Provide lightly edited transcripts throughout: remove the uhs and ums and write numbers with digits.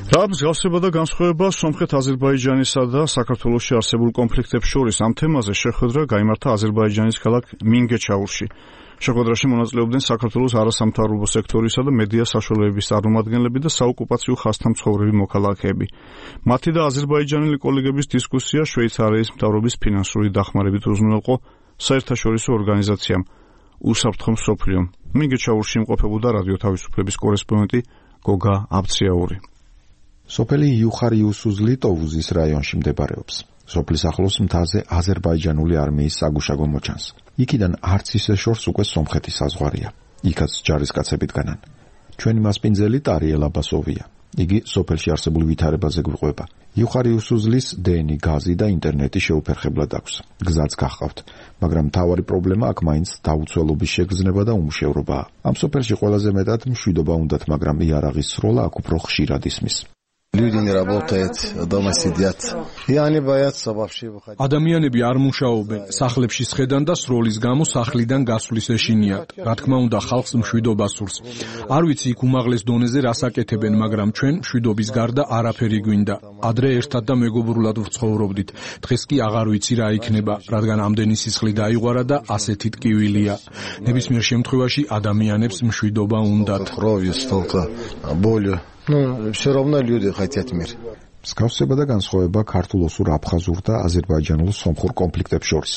რა მსგავსება და განსხვავება სომხეთ-აზერბაიჯანისა და საქართველოში არსებულ კონფლიქტებს შორის ამ თემაზე შეხვედრა გაიმართა აზერბაიჯანის ქალაქ მინგეჩაურში. შეხვედრაში მონაწილეობდნენ საქართველოს არასამთავრობო სექტორისა და მედია საშუალებების წარმომადგენლები და საოკუპაციო ხაზთან მცხოვრები მოქალაქეები. მათი და აზერბაიჯანელი კოლეგების დისკუსია შვეიცარიის მთავრობის ფინანსური დახმარებით უზრუნველყო საერთაშორისო ორგანიზაციამ უსაფრთხო მსოფლიომ. მინგეჩაურში იმყოფებოდა რადიო თავისუფლების კორესპონდენტი გოგა აბციაური. სოფელი იუხარ-იუსუზლი ტოვუზის რაიონში მდებარეობს. სოფლის ახლოს მთაზე აზერბაიჯანული არმიის საგუშაგო მოჩანს. იქიდან არც ისე შორს უკვე სომხეთის საზღვარია. იქაც ჯარისკაცები დგანან. ჩვენი მასპინძელი ტარიელ აბასოვია. იგი სოფელში არსებულ ვითარებაზე გვიყვება. იუხარ-იუსუზლის დენი, გაზი და ინტერნეტი შეუფერხებლად აქვს. გზაც გახყავთ, მაგრამ მთავარი პრობლემა აქ მაინც დაუცველობის შეგრძნება და უმუშევრობაა. ამ სოფელში ყველაზე მეტად მშვიდობა უნდათ, მაგრამ იარაღის სროლა აქ უფრო ხშირად ისმის. Люди не работают, дома сидят. И они боятся вообще выходить. Ადამიანები არ მუშაობენ, სახლებში სხედან და სროლის გამო სახლიდან გასვლის ეშინიათ. რა თქმა უნდა, ხალხს მშვიდობა სურს. არ ვიცი იქ უმაღლეს დონეზე რას აკეთებენ, მაგრამ ჩვენ მშვიდობის გარდა არაფერი გვინდა. ადრე ერთად და მეგობრულად ვცხოვრობდით. დღეს კი აღარ ვიცი რა იქნება, რადგან ამდენი სისხლი დაიღვარა და ასეთი ტკივილია. ნებისმიერ შემთხვევაში ადამიანებს მშვიდობა უნდათ. Кровью столько боли. Ну, все равно люди хотят мир. მსგავსება და განსხვავება ქართულ-ოსურ, აფხაზურ და აზერბაიჯანულ სომხურ კონფლიქტებს შორის.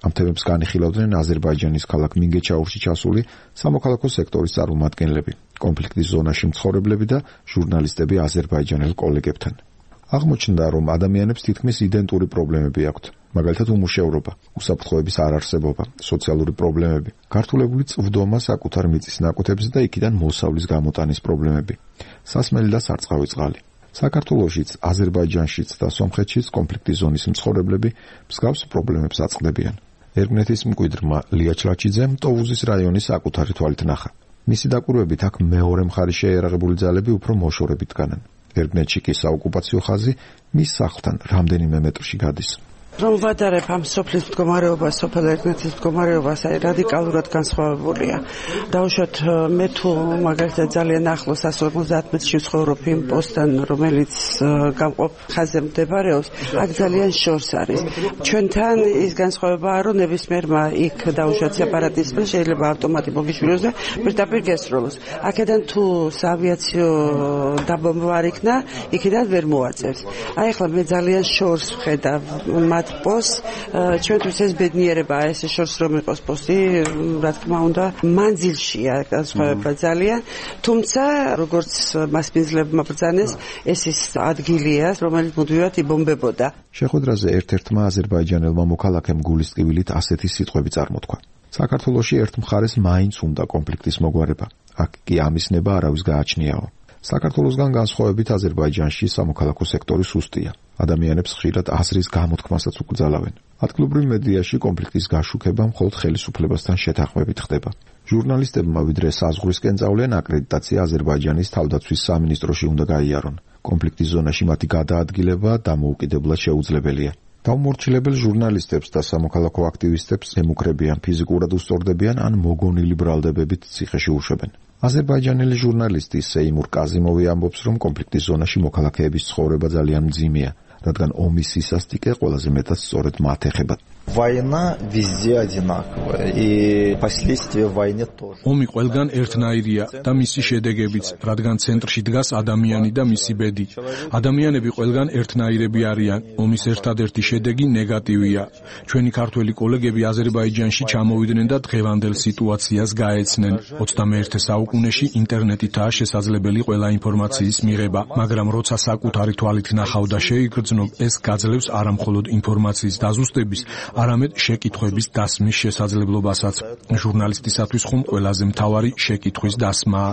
ამ თემებს განიხილავდნენ აზერბაიჯანის ქალაქ მინგეჩაურში ჩასული სამოქალაქო სექტორის წარმომადგენლები, კონფლიქტის ზონაში მცხოვრებლები და ჟურნალისტები აზერბაიჯანელ კოლეგებთან. აღმოჩნდა, რომ ადამიანებს თითქმის იდენტური პრობლემები აქვთ, მაგალითად უმუშევრობა, უსაფრთხოების არარსებობა, სოციალური პრობლემები, გართულებული წვდომა საკუთარ მიწის ნაკვეთებზე და იქიდან მოსავლის გამოტანის პრობლემები, სასმელი და სარწყავი წყალი. საქართველოშიც, აზერბაიჯანშიც და სომხეთშიც კონფლიქტის ზონის მცხოვრებლები მსგავს პრობლემებს აწყდებიან. ერგნეთის მკვიდრმა ლია ჩლაჩიძემ ტოვუზის რაიონის საკუთარი თვალით ნახა. მისი დაკვირვებით აქ მეორე მხარის შეიარაღებული ძალები უფრო მოშორებით დგანან. ერგნეთში კი საოკუპაციო ხაზი მის სახლთან რამდენიმე მეტრში გადის. რომ ვადარებ ამ სოფლის მდგომარეობას, სოფელ ერგნეთის მდგომარეობას, რადიკალურად განსხვავებულია. დაუშვათ მე თუ მაგალითად ძალიან ახლოს 150 მეტრში ვცხოვრობ იმ პოსტთან, რომელიც გამყოფ ხაზზე მდებარეობს, აქ ძალიან შორს არის. ჩვენთან ის განსხვავებაა, რომ ნებისმიერმა იქ დაუშვათ სეპარატისტმა შეიძლება ავტომატი მოგიშვილოს და პირდაპირ გესროლოს. აქედან თუ საავიაციო დაბომბვა არ იქნა, იქიდან ვერ მოაწევს. აი ახლა მე ძალიან შორს ვხედავ პოს ჩვენთვის ეს ბედნიერებაა ესე შორს რომ იყოს პოსტი, რა თქმა უნდა მანძილშია განსხვავება ძალიან, თუმცა როგორც მასპინძლებმა ბრძანეს, ეს ის ადგილია, რომელიც მუდმივად იბომბებოდა. შეხვედრაზე ერთ-ერთმა აზერბაიჯანელმა მოქალაქემ გულის ტკივილით ასეთი სიტყვები წარმოთქვა. საქართველოში ერთ მხარეს მაინც უნდა კონფლიქტის მოგვარება, აქ კი ამის ნება არავის გააჩნიაო. საქართველოსგან განსხვავებით აზერბაიჯანში სამოქალაქო სექტორი სუსტია. ადამიანებს ხშირად აზრის გამოთქმასაც უკრძალავენ. ადგილობრივ მედიაში კონფლიქტის გაშუქება მხოლოდ ხელისუფლებასთან შეთანხმებით ხდება. ჟურნალისტებმა ვიდრე საზღვრისკენ წავლენ, აკრედიტაცია აზერბაიჯანის თავდაცვის სამინისტროში უნდა გაიარონ. კონფლიქტის ზონაში მათი გადაადგილება დამოუკიდებლად შეუძლებელია. დაუმორჩილებელ ჟურნალისტებს და სამოქალაქო აქტივისტებს ემუქრებიან, ფიზიკურად უსწორდებიან ან მოგონილი ბრალდებებით ციხეში უშვებენ. აზერბაიჯანელი ჟურნალისტი სეიმურ კაზიმოვი ამბობს, რომ კონფლიქტის ზონაში მოქალაქეების ცხოვრება ძალიან მძიმეა, რადგან ომის სისასტიკე ყველაზე მეტად სწორედ მათ ეხება. Война везде одинаковая, и последствия войны тоже. ომი ყველგან ერთნაირია და მისი შედეგებიც, რადგან ცენტრში დგას ადამიანი და მისი ბედი. ადამიანები ყველგან ერთნაირები არიან, ომის ერთადერთი შედეგი ნეგატივია. ჩვენი ქართველი კოლეგები აზერბაიჯანში ჩამოვიდნენ და დღევანდელ სიტუაციას გაეცნენ. 21 საუკუნეში ინტერნეტითაა შესაძლებელი ყველა ინფორმაციის მიღება, მაგრამ როცა საკუთარი თვალით ნახავ და შეიგრძნობ, ეს გაძლევს არამხოლოდ ინფორმაციის დაზუსტების, არამედ შეკითხვების დასმის შესაძლებლობასაც. ჟურნალისტისათვის ხომ ყველაზე მთავარი შეკითხვის დასმაა.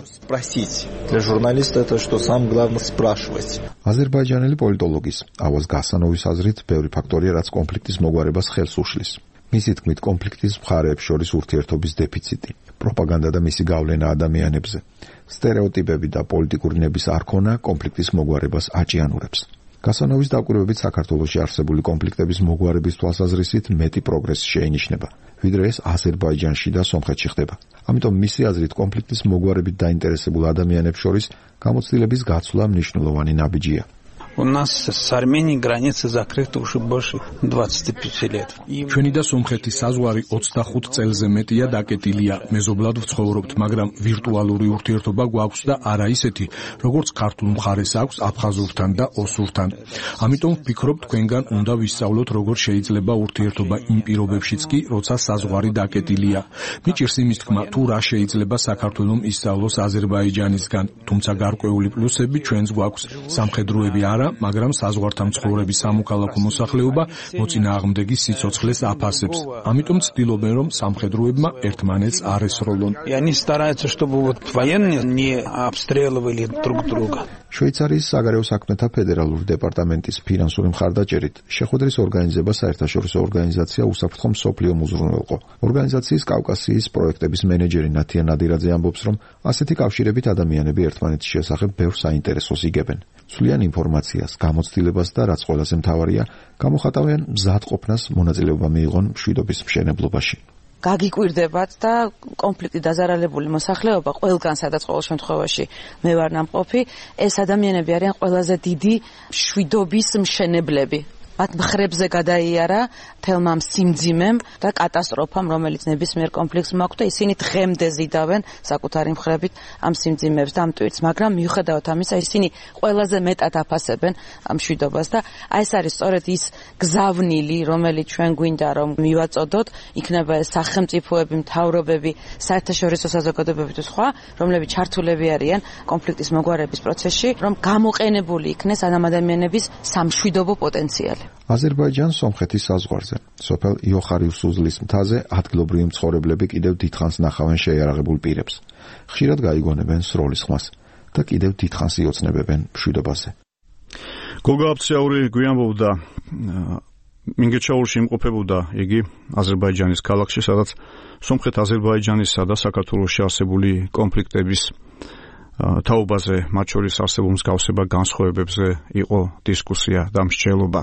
Для журналиста это что самое главное спрашивать. აზერბაიჯანელი პოლიტოლოგის ავაზ გასანოვის აზრით, ბევრი ფაქტორია, რაც კონფლიქტის მოგვარებას ხელს უშლის. მისი თქმით, კონფლიქტის მხარეებს შორის ურთიერთობის დეფიციტი, პროპაგანდა და მისი გავლენა ადამიანებზე, სტერეოტიპები და პოლიტიკური ნების არქონა კონფლიქტის მოგვარებას აჭიანურებს. გასანოვის დაკვირვებით საქართველოში არსებული კონფლიქტების მოგვარების თვალსაზრისით მეტი პროგრესი შეინიშნება, ვიდრე ეს აზერბაიჯანში და სომხეთში ხდება. ამიტომ მისი აზრით კონფლიქტის მოგვარებით დაინტერესებულ ადამიანებს შორის გამოცდილების გაცვლა მნიშვნელოვანი ნაბიჯია. У нас с Арменией граница закрыта уже больше 25 лет. ჩვენი და სომხეთის საზღვარი 25 წელზე მეტია დაკეტილია. მეზობლად ვცხოვრობთ, მაგრამ ვირტუალური ურთიერთობა გვაქვს და არა ისეთი, როგორც ქართულ მხარეს აქვს აფხაზურთან და ოსურთან. ამიტომ ვფიქრობ, თქვენგან უნდა ვისწავლოთ, როგორ შეიძლება ურთიერთობა იმ პირობებშიც კი, როცა საზღვარი დაკეტილია. მიჭირს იმის თქმა, თუ რა შეიძლება საქართველოს ისწავლოს აზერბაიჯანისგან, თუმცა გარკვეული პლუსები ჩვენს გვაქვს. სამხედროები არა, მაგრამ საზღვართან მცხოვრები სამოქალაქო მოსახლეობა მოწინააღმდეგის სიცოცხლეს აფასებს. ამიტომ ცდილობენ, რომ სამხედროებმა ერთმანეთს არ ესროლონ. И они стараются, чтобы вот военные не обстреливали друг друга. შვეიცარიის საგარეო საქმეთა ფედერალური დეპარტამენტის ფინანსური მხარდაჭერით შეხვედრის ორგანიზება საერთაშორისო ორგანიზაცია უსაფრთხო მსოფლიო მუზრუნველყო. ორგანიზაციის კავკასიის პროექტების მენეჯერი ნათია ნადირაძე ამბობს, რომ ასეთი კავშირებით ადამიანები ერთმანეთის შესახებ ბევრ საინტერესოს იგებენ. სვლიან ინფორმაციას, გამოცდილებას და რაც ყველაზე მთავარია, გამოხატავენ მზადყოფნას მონაწილეობა მიიღონ მშვიდობის მშენებლობაში. გაგიკვირდებათ და კონფლიქტი დაზარალებული მოსახლეობა ყველგან სადაც ყოველ შემთხვევაში მე ვარ ნამყოფი, ეს ადამიანები არიან ყველაზე დიდი მშვიდობის მშენებლები. მათ მხრებზე გადაიარა თელმა სიმძიმემ და კატასტროფამ, რომელიც ნებისმიერ კონფლიქტს მაქვს და ისინი დღემდე ზიდავენ საკუთარი მხრებით ამ სიმძიმებს და ამ ტვირთს, მაგრამ მიუხედავად ამისა, ისინი ყველაზე მეტად აფასებენ ამ მშვიდობას და აი ეს არის სწორედ ის გზავნილი, რომელიც ჩვენ გვინდა რომ მივაწოდოთ, იქნება ეს სახელმწიფოები, მთავრობები, საერთაშორისო საზოგადოებები თუ სხვა, რომლებიც ჩართულები არიან კონფლიქტის მოგვარების პროცესში, რომ გამოყენებული იქნეს ამ ადამიანების სამშვიდობო პოტენციალი. აზერბაიჯან-სომხეთის საზღვარზე, სოფელ იოხარი-უსუზლის მთაზე ადგილობრივი მცხოვრებლები კიდევ დიდხანს ნახავენ შეიარაღებულ პირებს. ხშირად გაიგონებენ სროლის ხმას და კიდევ დიდხანს იოცნებებენ მშვიდობაზე. გოგა აფციაური გვიანბობდა, მინგეჩაურში იმყოფებოდა იგი აზერბაიჯანის ქალაქში, სადაც სომხეთ-აზერბაიჯანისა და საქართველოში არსებული კონფლიქტების თაობაზე, მათ შორის არსებულ მსგავსება განსხვავებებზე იყო დისკუსია და მსჯელობა.